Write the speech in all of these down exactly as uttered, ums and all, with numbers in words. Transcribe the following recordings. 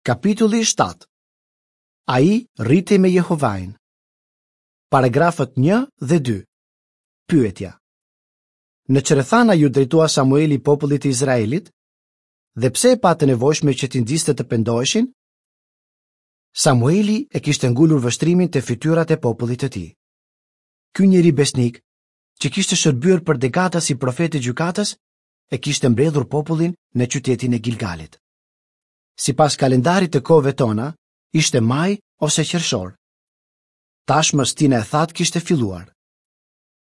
Kapitulli shtatë. Ai rritej me Jehovain. Paragrafët një dhe dy. Pyetja. Në ç'rrethana iu drejtua Samueli popullit të Izraelit? Dhe pse e pa të nevojshme që t'i nxiste të pendoheshin? Samueli e kishte ngulur vështrimin te fytyrat e popullit të tij. Ky njeri besnik, që kishte shërbyer për dekada si profet e gjykatës, e kishte mbledhur popullin në qytetin e Gilgalit. Sipas kalendarit të kohëve tona, ishte maj ose qershor. Tashmë stina e thatë kishte filluar.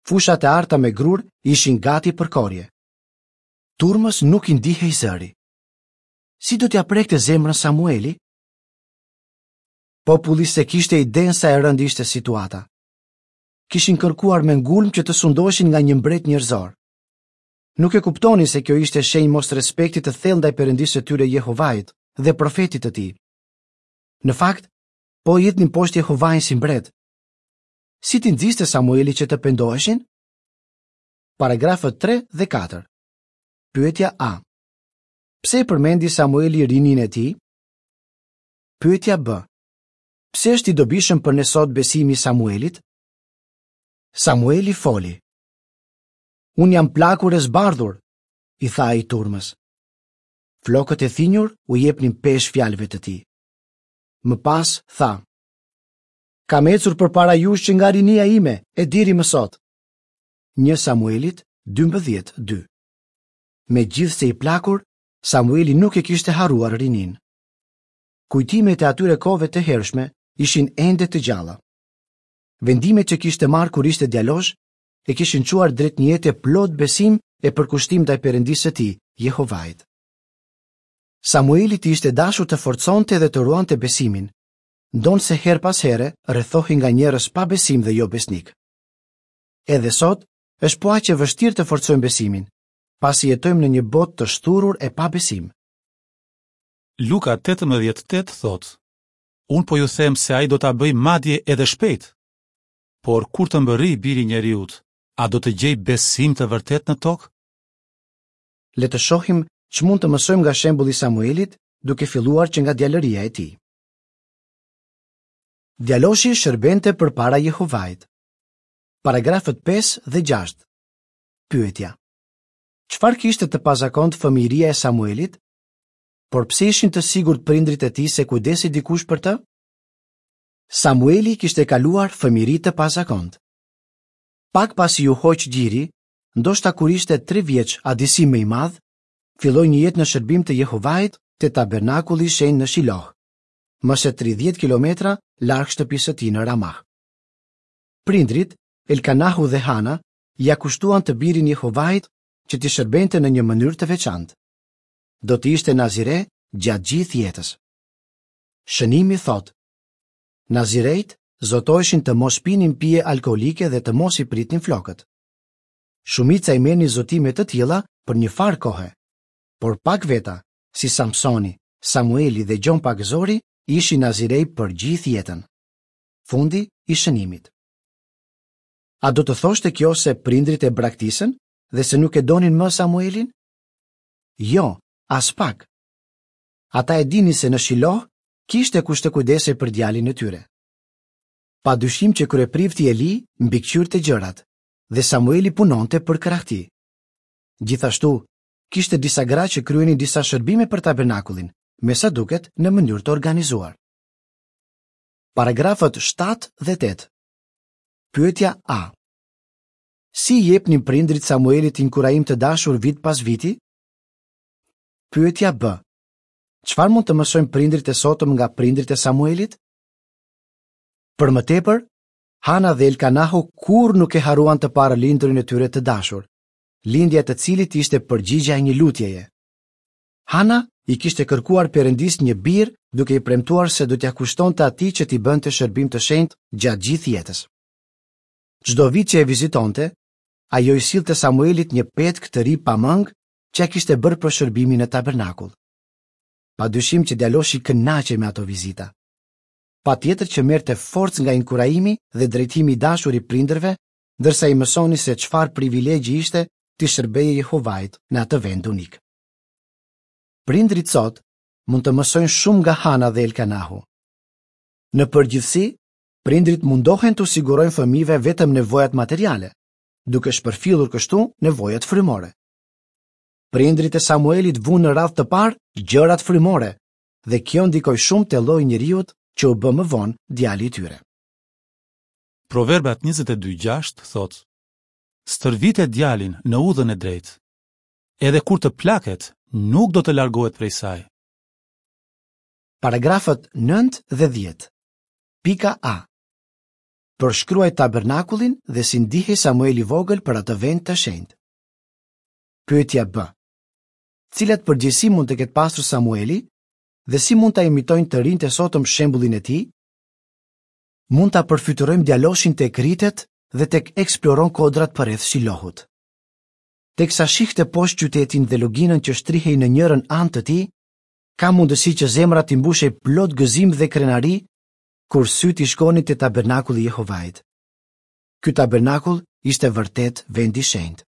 Fushat e arta me grur ishin gati për korrje. Turmës nuk i ndihej zëri. Si do t'ia prekte zemrën Samueli? Populli s'e kishte idenë sa e rëndë ishte situata. Kishin kërkuar me ngulm që të sundoheshin nga një mbret njerëzor. Nuk e kuptonin se kjo ishte shenjë mosrespekti të thellë ndaj Perëndisë së tyre Jehovait dhe profetit të tij. Në fakt, po hidhnin poshtë Jehovain si mbret. Si t'i nxiste Samueli që të pendoheshin? Paragrafët tre dhe katër. Pyetja A. Pse e përmendi Samueli rininë e tij? Pyetja B. Pse është i dobishëm për ne sot besimi i Samuelit? Samueli foli. Unë jam plakur e zbardhur, i tha ai turmës. Flokët e thinjur u jepnin peshë fjalëve të tij. Më pas tha: Kam ecur përpara jush që nga rinia ime e deri më sot. Një Samuelit dymbëdhjetë dy. Megjithëse i plakur, Samueli nuk e kishte harruar rininë. Kujtimet e atyre kohëve të hershme ishin ende të gjalla. Vendimet që kishte marrë kur ishte djalosh e kishin çuar drejt një jete plot besim e përkushtim ndaj Perëndisë së tij, Jehovait. Samuelit i ishte dashur të forconte dhe të ruante besimin, ndonëse herë pas here rrethohej nga njerëz pa besim dhe jo besnik. Edhe sot është po aq e vështirë të forcojmë besimin, pasi jetojmë në një botë të shthurur e pa besim. Luka tetëmbëdhjetë tetë thotë: Unë po ju them se ai do ta bëjë madje edhe shpejt. Por kur të mbërrijë biri i njeriut, a do të gjej besim të vërtetë në tokë? Le të shohim ç'mund të mësojmë nga shembulli i Samuelit, duke filluar që nga djalëria e tij. Djaloshi shërbente përpara Jehovait. Paragrafët pesë dhe gjashtë. Pyetja: Çfarë kishte të pazakontë fëmijëria e Samuelit? Por pse ishin të sigurt prindrit e tij se kujdesi dikush për të? Samueli kishte kaluar fëmijëri të pazakontë. Pak pasi ju hoq gjiri, ndoshta kur ishte tre vjeç a disi më i madh, filloi një jetë në shërbim të Jehovait te tabernakulli i shenjtë në Shiloh, më se tridhjetë kilometra larg shtëpisë së tij në Ramah. Prindrit, Elkanahu dhe Hana, ia kushtuan të birin Jehovait që t'i shërbente në një mënyrë të veçantë. Do të ishte Nazire gjatë gjithë jetës. Shënimi thotë: Nazirejt zotoheshin të mos pinin pije alkoolike dhe të mos i pritnin flokët. Shumica i merrnin zotime të tilla për një farë kohe, por pak veta, si Samsoni, Samueli dhe Gjon Pagëzori, ishin nazirej për gjithë jetën. Fundi i shënimit. A do të thoshte kjo se prindrit e braktisën dhe se nuk e donin më Samuelin? Jo, as pak. Ata e dinin se në Shiloh kishte kush të kujdesej për djalin e tyre. Pa dyshim që kryeprifti Eli mbikëqyrte gjërat dhe Samueli punonte për krah tij. Gjithashtu, kishte disa gra që kryenin disa shërbime për tabernakullin, me sa duket në mënyrë të organizuar. Paragrafët shtatë dhe tetë. Pyetja A. Si i jepnin prindrit Samuelit inkurajim të dashur vit pas viti? Pyetja B. Çfarë mund të mësojnë prindrit e sotëm nga prindrit e Samuelit? Për më tepër, Hana dhe Elkanahu kurrë nuk e harruan të parë lindurin e tyre të dashur, lindja e të cilit ishte përgjigja e një lutjeje. Hana i kishte kërkuar Perëndis një bir, duke i premtuar se do t'ia kushtonte atij që t'i bënte shërbim të shenjtë gjatë gjithë jetës. Çdo vit që e vizitonte, ajo i sillte Samuelit një petk të ri pa mëngë që ja kishte bërë për shërbimin në tabernakull. Pa dyshim që djaloshi kënaqej me ato vizita. Patjetër që merrte forcë nga inkurajimi dhe drejtimi i dashur i prindërve, ndërsa i mësoni se çfarë privilegji ishte t'i shërbeje Jehovait në atë vend unik. Prindrit sot mund të mësojnë shumë nga Hana dhe Elkanahu. Në përgjithësi, prindrit mundohen t'u sigurojnë fëmijëve vetëm nevojat materiale, duke shpërfillur kështu nevojat frymore. Prindrit e Samuelit vunë në radhë të parë gjërat frymore dhe kjo ndikoi shumë te lloji i njeriut që u bë më vonë djali i tyre. Proverbat njëzet e dy gjashtë thotë: Stërvite djalin në udhën e drejtë. Edhe kur të plaket, nuk do të largohet prej saj. Paragrafët nëntë dhe dhjetë. Pika A. Përshkruaj tabernakullin dhe si ndihej Samueli i vogël për atë vend të shenjtë. Pyetja B. Cilat përgjegjësi mund të ketë pasur Samueli dhe si mund ta imitojnë të rinjtë e sotëm shembullin e tij? Mund ta përfytyrojmë djaloshin tek rritet dhe tek eksploron kodrat përreth Shilohut. Teksa shihte poshtë qytetin dhe luginën që shtrihej në njërën anë të tij, ka mundësi që zemra t'i mbushej plot gëzim dhe krenari kur sytë i shkonin te tabernakulli i Jehovait. Ky tabernakull ishte vërtet vend i shenjtë.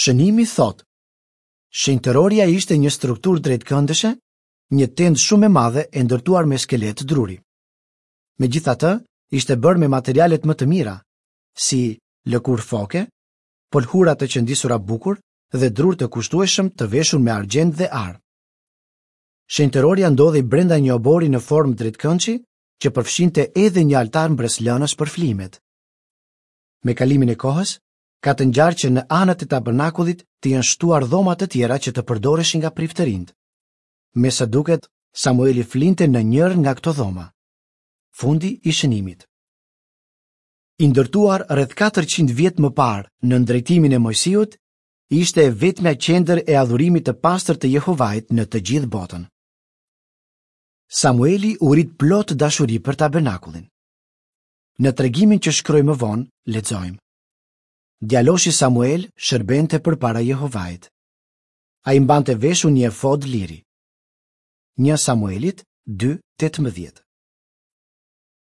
Shënimi thotë: Shenjtëroria ishte një strukturë drejtkëndëshe, një tendë shumë e madhe e ndërtuar me skelet druri. Megjithatë, ishte bërë me materialet më të mira, si lëkurë foke, polhura të qëndisura bukur dhe drur të kushtueshëm të veshur me argjend dhe ar. Shenjtëroria ndodhej brenda një obori në formë drejtkëndshi që përfshinte edhe një altar mbresëlënës për flimet. Me kalimin e kohës, ka të ngjarë që në anët e tabernakullit të jenë shtuar dhoma të tjera që të përdoreshin nga priftërinjtë. Me sa duket, Samueli flinte në njërën nga këto dhoma. Fundi i shënimit. I ndërtuar rreth katërqind vjet më parë nën drejtimin e Mojsiut, ishte e vetmja qendër e adhurimit të pastër të Jehovait në të gjithë botën. Samueli u rrit plot dashuri për tabernakullin. Në tregimin që shkroi më vonë, lexojmë: Djaloshi Samuel shërbente përpara Jehovait. Ai mbante veshur një efod liri. Një Samuelit dy tetëmbëdhjetë.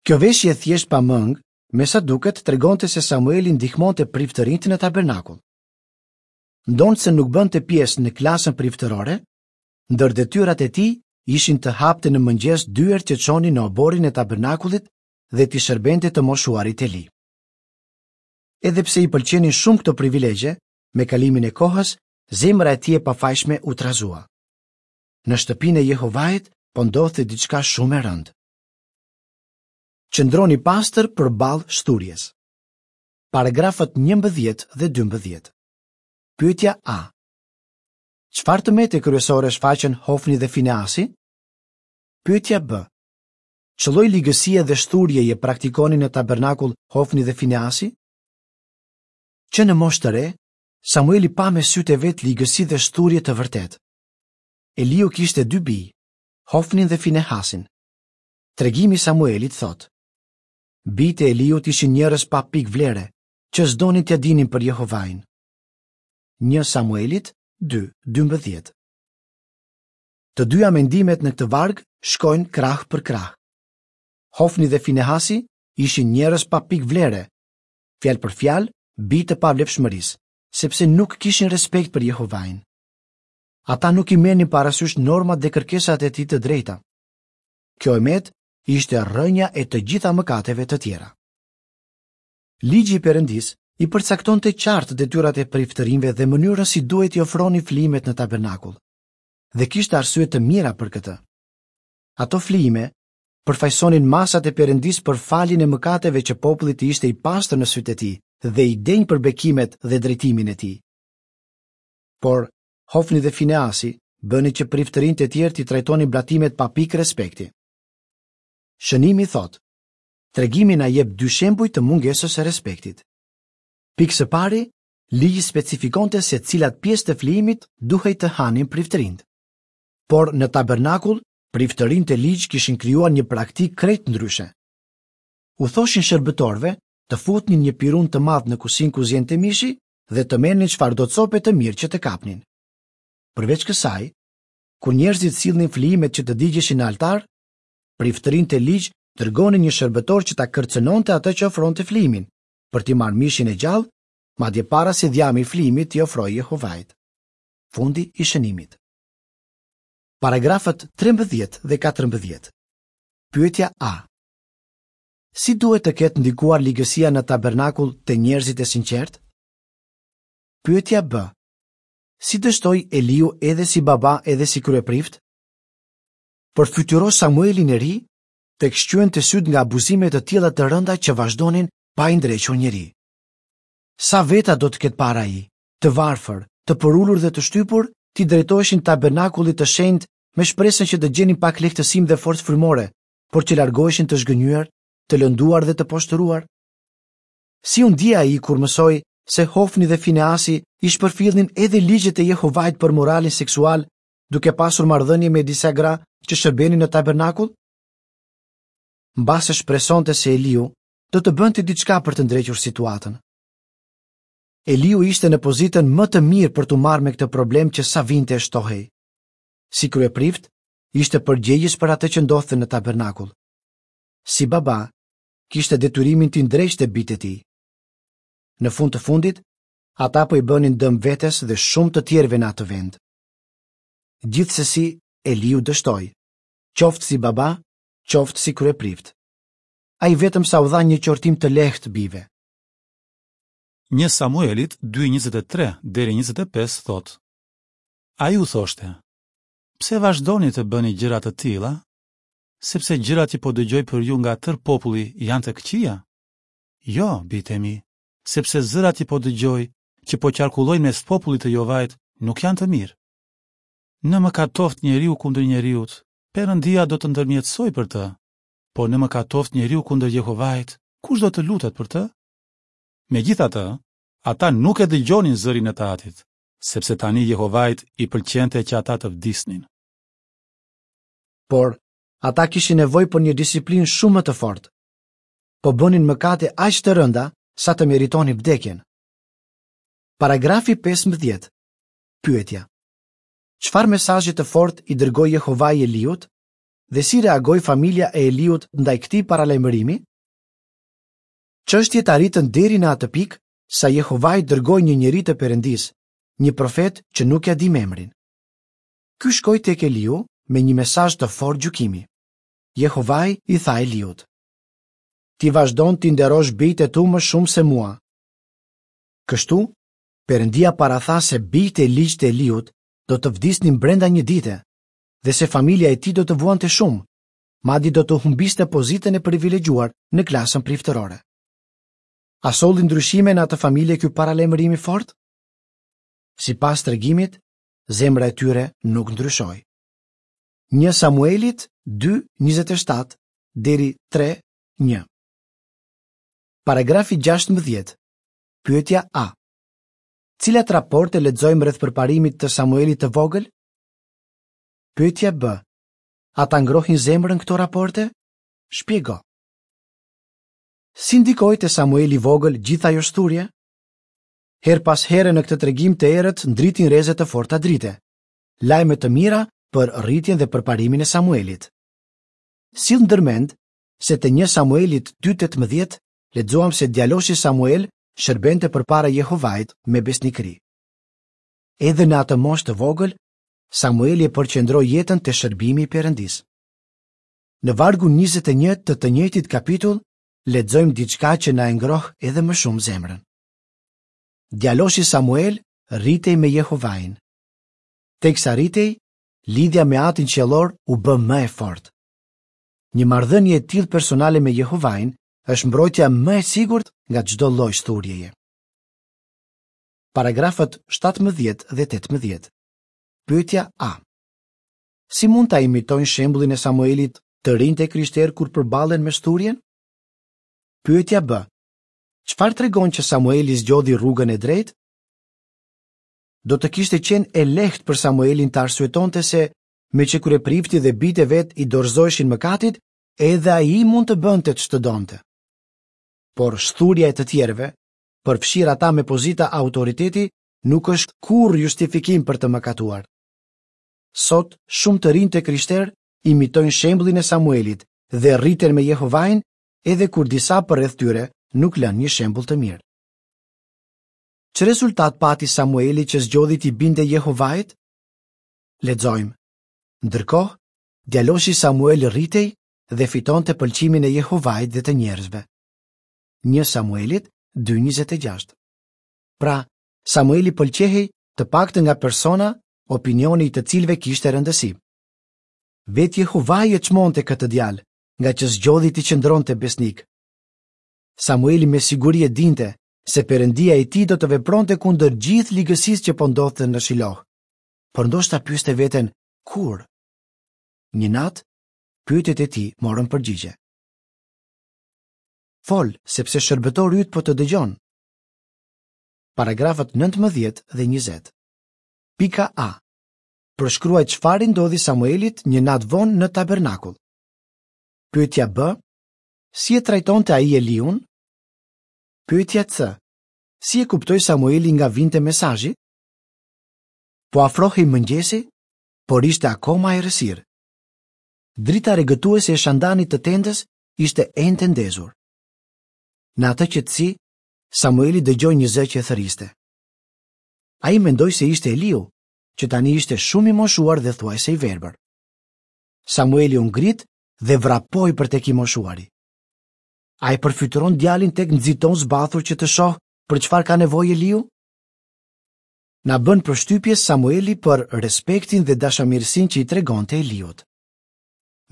Kjo veshje e thjeshtë pa mëngë, me sa duket tregonte se Samueli ndihmonte priftërinjtë në tabernakull. Ndonëse nuk bënte pjesë në klasën priftërore, ndër detyrat e tij ishin të hapte në mëngjes dyert që çonin në oborrin e tabernakullit dhe t'i shërbente të moshuarit Eli. Edhe pse i pëlqenin shumë këto privilegje, me kalimin e kohës, zemra e tij e pafajshme u trazua. Në shtëpinë e Jehovait po ndodhte diçka shumë e rëndë. Qëndroni pastër përballë shthurjes. Paragrafët njëmbëdhjetë dhe dymbëdhjetë. Pyetja A. Çfarë të mete kryesore shfaqen Hofni dhe Fineasi? Pyetja B. Ç'lloj ligësie dhe shthurjeje praktikonin në tabernakull Hofni dhe Fineasi? Që në moshë të re, Samueli pa me sytë e vet ligësi dhe shthurje të vërtetë. Eliu kishte dy bij, Hofnin dhe Finehasin. Tregimi i Samuelit thotë: Bijtë e Eliut ishin njerëz pa pikë vlere, që s'donin t'ia dinin për Jehovain. Një Samuelit dy dymbëdhjetë. Të dyja mendimet në këtë varg shkojnë krah për krah. Hofni dhe Finehasi ishin njerëz pa pikë vlere, fjalë për fjalë, bij të pavlefshmërisë, sepse nuk kishin respekt për Jehovain. Ata nuk i merrnin parasysh normat dhe kërkesat e tij të drejta. Kjo e metë ishte rrënja e të gjitha mëkateve të tjera. Ligji i Perëndisë i përcaktonte qartë detyrat e priftërinjve dhe mënyrën si duhet t'i ofronin flimet në tabernakull. Dhe kishte arsye të mira për këtë. Ato flime përfaqësonin masat e Perëndisë për faljen e mëkateve që populli të ishte i pastër në sytë e tij dhe i denjë për bekimet dhe drejtimin e tij. Por Hofni dhe Fineasi bënin që priftërinjtë e tjerë t'i trajtonin blatimet pa pikë respekti. Shënimi thotë: Tregimi na jep dy shembuj të mungesës së respektit. Pikë së pari, ligji specifikonte se cilat pjesë të flijimit duhej të hanin priftërinjtë. Por në tabernakull, priftërinjtë e ligj kishin krijuar një praktikë krejt ndryshe. U thoshin shërbëtorëve të futnin një pirun të madh në kusinë ku ziente mishi dhe të merrnin çfarëdo cope të mirë që të kapnin. Përveç kësaj, kur njerëzit sillnin flijimet që të digjeshin në altar, priftërinjtë e ligj dërgonin një shërbëtor që ta kërcënonte atë që ofronte flijimin, për t'i marrë mishin e gjallë, madje para se dhjami i flijimit t'i ofrojë Jehovait. Fundi i shënimit. Paragrafët trembëdhjetë dhe katërmbëdhjetë. Pyetja A. Si duhet të ketë ndikuar ligësia në tabernakull te njerëzit e sinqertë? Pyetja B. Si dështoi Eliu edhe si baba edhe si kryeprift? Përfytyro Samuelin e ri, tek shqyente sytë nga abuzime të tilla të rënda që vazhdonin pa i ndrequr njeri. Sa veta do të ketë parë ai, të varfër, të përulur dhe të shtypur, t'i drejtoheshin tabernakullit të shenjtë me shpresën që të gjenin pak lehtësim dhe forcë frymore, por që largoheshin të zhgënjyer, të lënduar dhe të poshtëruar? Si u ndje ai kur mësoi se Hofni dhe Fineasi i shpërfillnin edhe ligjet e Jehovait për moralin seksual, duke pasur marrëdhënie me disa gra që shërbenin në tabernakull? Mbase shpresonte se Eliu do të bënte diçka për të ndrequr situatën. Eliu ishte në pozitën më të mirë për t'u marrë me këtë problem që sa vinte e shtohej. Si kryeprift, ishte përgjegjës për atë që ndodhte në tabernakull. Si baba, kishte detyrimin t'i ndreqte bijtë e tij. Në fund të fundit, ata po i bënin dëm vetes dhe shumë të tjerëve në atë vend. Gjithsesi, Eliu dështoi, qoftë si baba, qoftë si kryeprift. Ai vetëm sa u dha një qortim të lehtë bijve. Një Samuelit dy njëzet e tre deri njëzet e pesë thotë: Ai u thoshte: Pse vazhdoni të bëni gjëra të tilla? Sepse gjërat që po dëgjoj për ju nga tërë populli janë të këqija. Jo, bijtë e mi, sepse zërat që po dëgjoj, që po qarkullojnë mes popullit të Jehovait, nuk janë të mirë. Në mëkatoft njeriu kundër njeriut, Perëndia do të ndërmjetësojë për të, por në mëkatoft njeriu kundër Jehovait, kush do të lutet për të? Megjithatë, ata nuk e dëgjonin zërin e të atit, sepse tani Jehovait i pëlqente që ata të vdisnin. Por, ata kishin nevojë për një disiplinë shumë më të fortë. Po bënin mëkate aq të rënda sa të meritonin vdekjen. Paragrafi pesëmbëdhjetë. Pyetja: Çfarë mesazhi të fortë i dërgoi Jehovai Eliut dhe si reagoi familja e Eliut ndaj këtij paralajmërimi? Çështjet arritën deri në atë pikë sa Jehovai dërgoi një njeri të Perëndisë, një profet që nuk ja dim emrin. Ky shkoi tek Eliu me një mesazh të fortë gjykimi. Jehovai i tha Eliut: Ti vazhdon t'i nderosh bijtë e tu më shumë se mua. Kështu, Perëndia paratha se bijtë e ligj të Eliut do të vdisnin brenda një dite dhe se familja e tij do të vuante shumë, madje do të humbiste pozitën e privilegjuar në klasën priftërore. A solli ndryshime në atë familje ky paralajmërim i fortë? Sipas tregimit, zemra e tyre nuk ndryshoi. Një Samuelit dy njëzet e shtatë deri tre një. Paragrafi gjashtëmbëdhjetë. Pyetja A. Cilat raporte lexojmë rreth përparimit të Samuelit të vogël? Pyetja B. A ta ngrohin zemrën këto raporte? Shpjego. Si ndikoi te Samueli i vogël gjithë ajo shthurje? Her pas here në këtë tregim të errët ndritin rreze të forta drite. Lajme të mira për rritjen dhe përparimin e Samuelit. Sill ndërmend se te një Samuelit dy tetëmbëdhjetë lexuam se djaloshi Samuel shërbente përpara Jehovait me besnikëri. Edhe në atë moshë të vogël, Samueli e përqendroi jetën te shërbimi i Perëndisë. Në vargun njëzet e një të të njëjtit kapitull, lexojmë diçka që na e ngroh edhe më shumë zemrën. Djaloshi Samuel rritej me Jehovain. Teksa rritej, lidhja me Atin qiellor u bë më e fortë. Një marrëdhënie e tillë personale me Jehovain është mbrojtja më e sigurt nga çdo lloj shthurjeje. Paragrafët shtatëmbëdhjetë dhe tetëmbëdhjetë. Pyetja A. Si mund ta imitojnë shembullin e Samuelit të rinjtë e krishterë kur përballen me shthurjen? Pyetja B. Çfarë tregon që Samueli zgjodhi rrugën e drejtë? Do të kishte qenë e lehtë për Samuelin të arsyetonte se, me që kryeprifti dhe bijtë e vet i dorëzoheshin mëkatit, edhe ai mund të bënte ç'të donte. Por shthurja e të tjerëve, përfshirë ata me pozita autoriteti, nuk është kurrë justifikim për të mëkatuar. Sot, shumë të rinj të krishterë imitojnë shembullin e Samuelit dhe rriten me Jehovain edhe kur disa përreth tyre nuk lënë një shembull të mirë. Ç'rezultat pati Samueli që zgjodhi t'i binde Jehovait? Lexojmë. Ndërkohë, djaloshi Samuel rritej dhe fitonte pëlqimin e Jehovait dhe të njerëzve. Një Samuelit dy njëzet e gjashtë. Pra, Samueli pëlqehej të paktën nga persona, opinioni i të cilëve kishte rëndësi. Vetë Jehovai e çmonte këtë djalë, nga që zgjodhi t'i qëndronte besnik. Samueli me siguri e dinte se Perëndia e tij do të vepronte kundër gjithë ligësisë që po ndodhte në Shiloh. Por ndoshta pyeste veten, kur? Një natë, pyetjet e tij morën përgjigje. Fol, sepse shërbëtori yt po të dëgjon. Paragrafët nëntëmbëdhjetë dhe njëzet. Pika A. Përshkruaj çfarë i ndodhi Samuelit një natë vonë në tabernakull. Pyetja B. Si e trajtonte ai Eliun? Pyetja C. Si e kuptoi Samueli nga vinte mesazhi? Po afrohej mëngjesi, por ishte akoma errësirë. Drita regëtuese e shandanit të tendës ishte ende ndezur. Në atë qetësi, Samueli dëgjoi një zë që e thërriste. Ai mendoi se ishte Eliu, që tani ishte shumë i moshuar dhe thuajse i verbër. Samueli u ngrit dhe vrapoi për tek i moshuari. A e përfytyron djalin tek nxiton zbathur që të shohë për çfarë ka nevojë Eliu? Na bën përshtypje Samueli për respektin dhe dashamirësinë që i tregonte Eliut.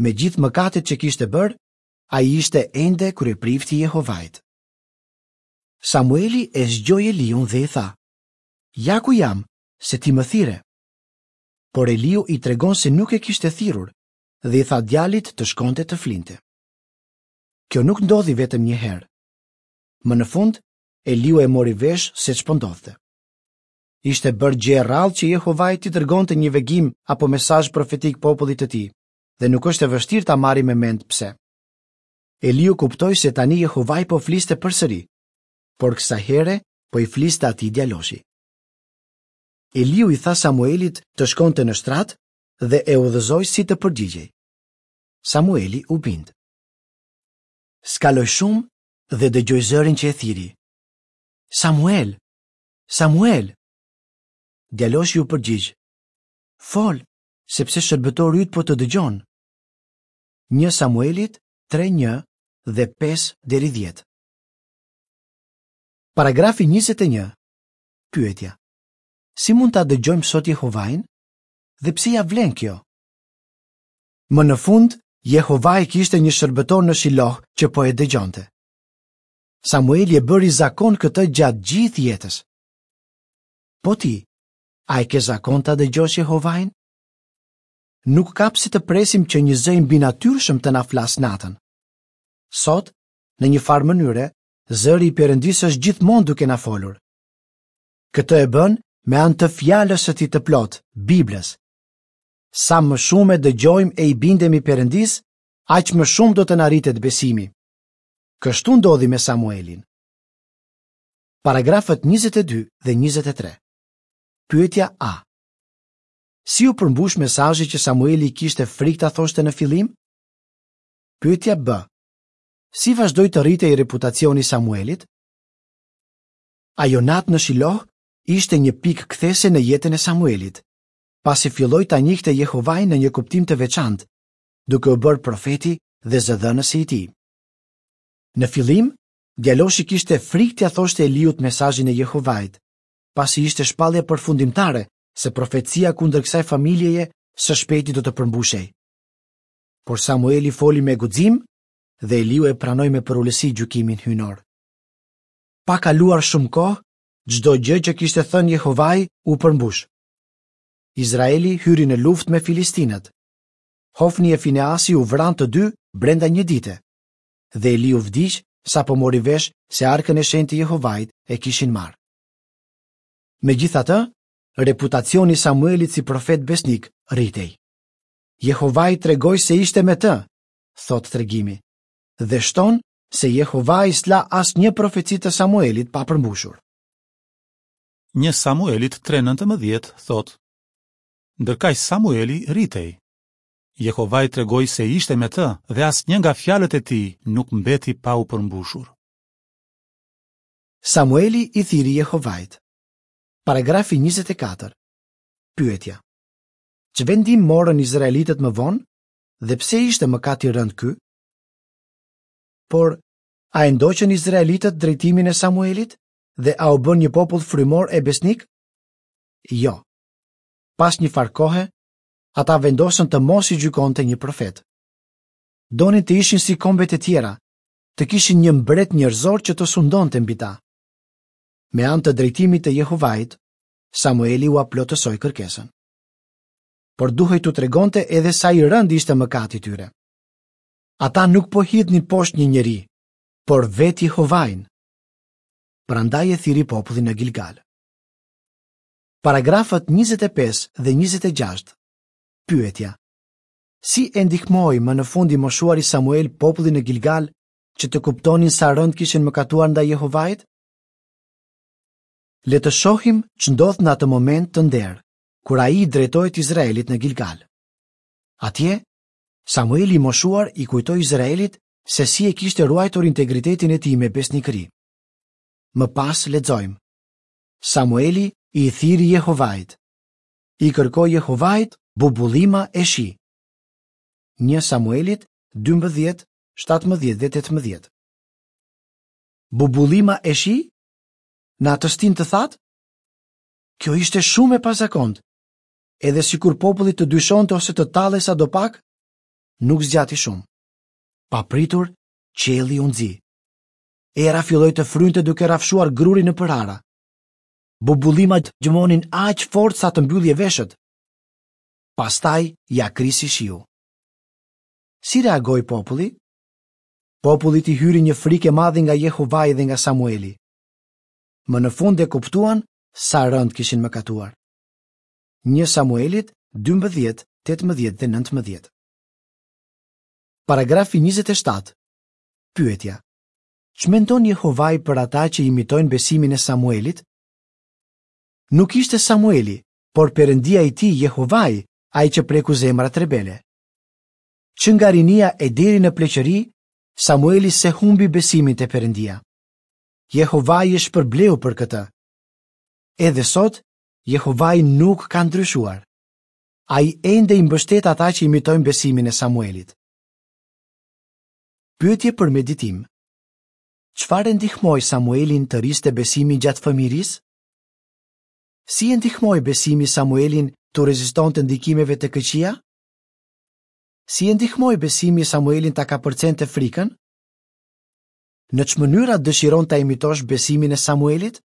Me gjithë mëkatet që kishte bërë, ai ishte ende kryeprifti i Jehovait. Samueli e zgjoi Eliun dhe i tha: "Ja ku jam, se ti më thire." Por Eliu i tregon se nuk e kishte thirrur dhe i tha djalit të shkonte të flinte. Kjo nuk ndodhi vetëm një herë. Më në fund, Eliu e mori vesh se ç'po ndodhte. Ishte bërë gjë e rrallë që Jehovai t'i dërgonte një vegim apo mesazh profetik popullit të tij, dhe nuk është e vështirë ta marrim me mend pse. Eliu kuptoi se tani Jehovai po fliste përsëri, por kësaj here po i fliste atij djaloshi. Eliu i tha Samuelit të shkonte në shtrat dhe e udhëzoi si të përgjigjej. Samueli u bind. Skaloi shumë dhe dëgjoi zërin që e thiri. Samuel, Samuel! Djaloshi u përgjigj. Fol, sepse shërbëtori yt po të dëgjon. Një Samuelit tre një dhe pesë deri dhjetë. Paragrafi njëzet e një. Pyetja. Si mund ta dëgjojmë sot Jehovain? Dhe pse ja vlen kjo? Më në fund, Jehovai kishte një shërbëtor në Shiloh që po e dëgjonte. Samueli e bëri zakon këtë gjatë gjithë jetës. Po ti, a e ke zakon ta dëgjosh Jehovain? Nuk ka pse të presim që një zë i mbinatyrshëm të na flasë natën. Sot, në një farë mënyre, zëri i Perëndisë është gjithmonë duke na folur. Këtë e bën me anë të fjalës së tij të plotë, Biblës. Sa më shumë e dëgjojmë e i bindemi Perëndisë, aq më shumë do të na rritet besimi. Kështu ndodhi me Samuelin. Paragrafët njëzet e dy dhe njëzet e tre. Pyetja A. Si u përmbush mesazhi që Samueli kishte frikë ta thoshte në fillim? Pyetja B. Si vazhdoi të rritej reputacioni i Samuelit? Ajo natë në Shiloh ishte një pikë kthese në jetën e Samuelit, pasi filloi ta njihte Jehovain në një kuptim të veçantë, duke u bërë profeti dhe zëdhënësi i tij. Në fillim, djaloshi kishte frikë t'ia thoshte Eliut mesazhin e Jehovait, pasi ishte shpallja përfundimtare se profecia kundër kësaj familjeje së shpejti do të përmbushej. Por Samueli foli me guxim dhe Eliu e pranoi me përulësi gjykimin hyjnor. Pa kaluar shumë kohë, çdo gjë që kishte thënë Jehovai u përmbush. Izraeli hyri në luftë me Filistinët. Hofni e Fineasi u vranë të dy brenda një dite. Dhe Eliu vdiq sapo mori vesh se arkën e shenjtë të Jehovait e kishin marrë. Megjithatë, reputacioni i Samuelit si profet besnik rritej. Jehovai tregoi se ishte me të, thotë tregimi, dhe shton se Jehovai s'la asnjë profeci të Samuelit pa përmbushur. Një Samuelit tre nëntëmbëdhjetë thotë: Ndërkaq Samueli rritej. Jehovai tregoi se ishte me të dhe asnjë nga fjalët e tij nuk mbeti pa u përmbushur. Samueli i thiri Jehovait. Paragrafi njëzet e katër. Pyetja. Ç'vendim morën izraelitët më vonë dhe pse ishte mëkat i rëndë ky? Por, a e ndoqën izraelitët drejtimin e Samuelit dhe a u bën një popull frymor e besnik? Jo. Pas një farë kohe, ata vendosën të mos i gjykonte një profet. Donin të ishin si kombet e tjera, të kishin një mbret njerëzor që të sundonte mbi ta. Me anë të drejtimit të Jehovait, Samueli ua plotësoi kërkesën. Por duhej t'u tregonte edhe sa i rëndë ishte mëkati i tyre. Ata nuk po hidhnin poshtë një njeri, por vetë Jehovain. Prandaj e thirri popullin në Gilgal. Paragrafët njëzet e pesë dhe njëzet e gjashtë. Pyetja: Si e ndihmoi më në fund i moshuari Samuel popullin në Gilgal që të kuptonin sa rëndë kishin mëkatuar ndaj Jehovait? Le të shohim ç'ndodh në atë moment të nderë, kur ai i drejtohet Izraelit në Gilgal. Atje, Samueli i moshuar i kujtoi Izraelit se si e kishte ruajtur integritetin e tij me besnikëri. Më pas lexojmë: Samueli i thirri Jehovait. I kërkoi Jehovait bubullima e shi. Një Samuelit dymbëdhjetë, shtatëmbëdhjetë dhe tetëmbëdhjetë. Bubullima e shi? Në atë stinë të thatë? Kjo ishte shumë e pazakontë. Edhe sikur populli të dyshonte ose të tallej sadopak, nuk zgjati shumë. Papritur, qielli u nxi. Era filloi të frynte duke rrafshuar grurin nëpër ara. Bubullimat gjëmonin aq fort sa të mbyllje veshët. Pastaj ja krisi shiu. Si reagoi populli? Popullit i hyri një frikë e madhe nga Jehovai dhe nga Samueli. Më në fund e kuptuan sa rëndë kishin mëkatuar. Një Samuelit dymbëdhjetë, tetëmbëdhjetë dhe nëntëmbëdhjetë. Paragrafi njëzet e shtatë. Pyetja: Ç'mendon Jehovai për ata që imitojnë besimin e Samuelit? Nuk ishte Samueli, por Perëndia i tij Jehovai, ai që preku zemrat rebele. Që nga rinia e deri në pleqëri, Samueli se humbi besimin te Perëndia. Jehovai e shpërbleu për këtë. Edhe sot, Jehovai nuk ka ndryshuar. Ai ende i mbështet ata që imitojnë besimin e Samuelit. Pyetje për meditim. Çfarë e ndihmoi Samuelin të rriste besimin gjatë fëmijërisë? Si e ndihmoi besimi Samuelin të rezistonte ndikimeve të këqija? Si e ndihmoi besimi Samuelin ta kapërcente frikën? Në ç'mënyra dëshiron ta imitosh besimin e Samuelit?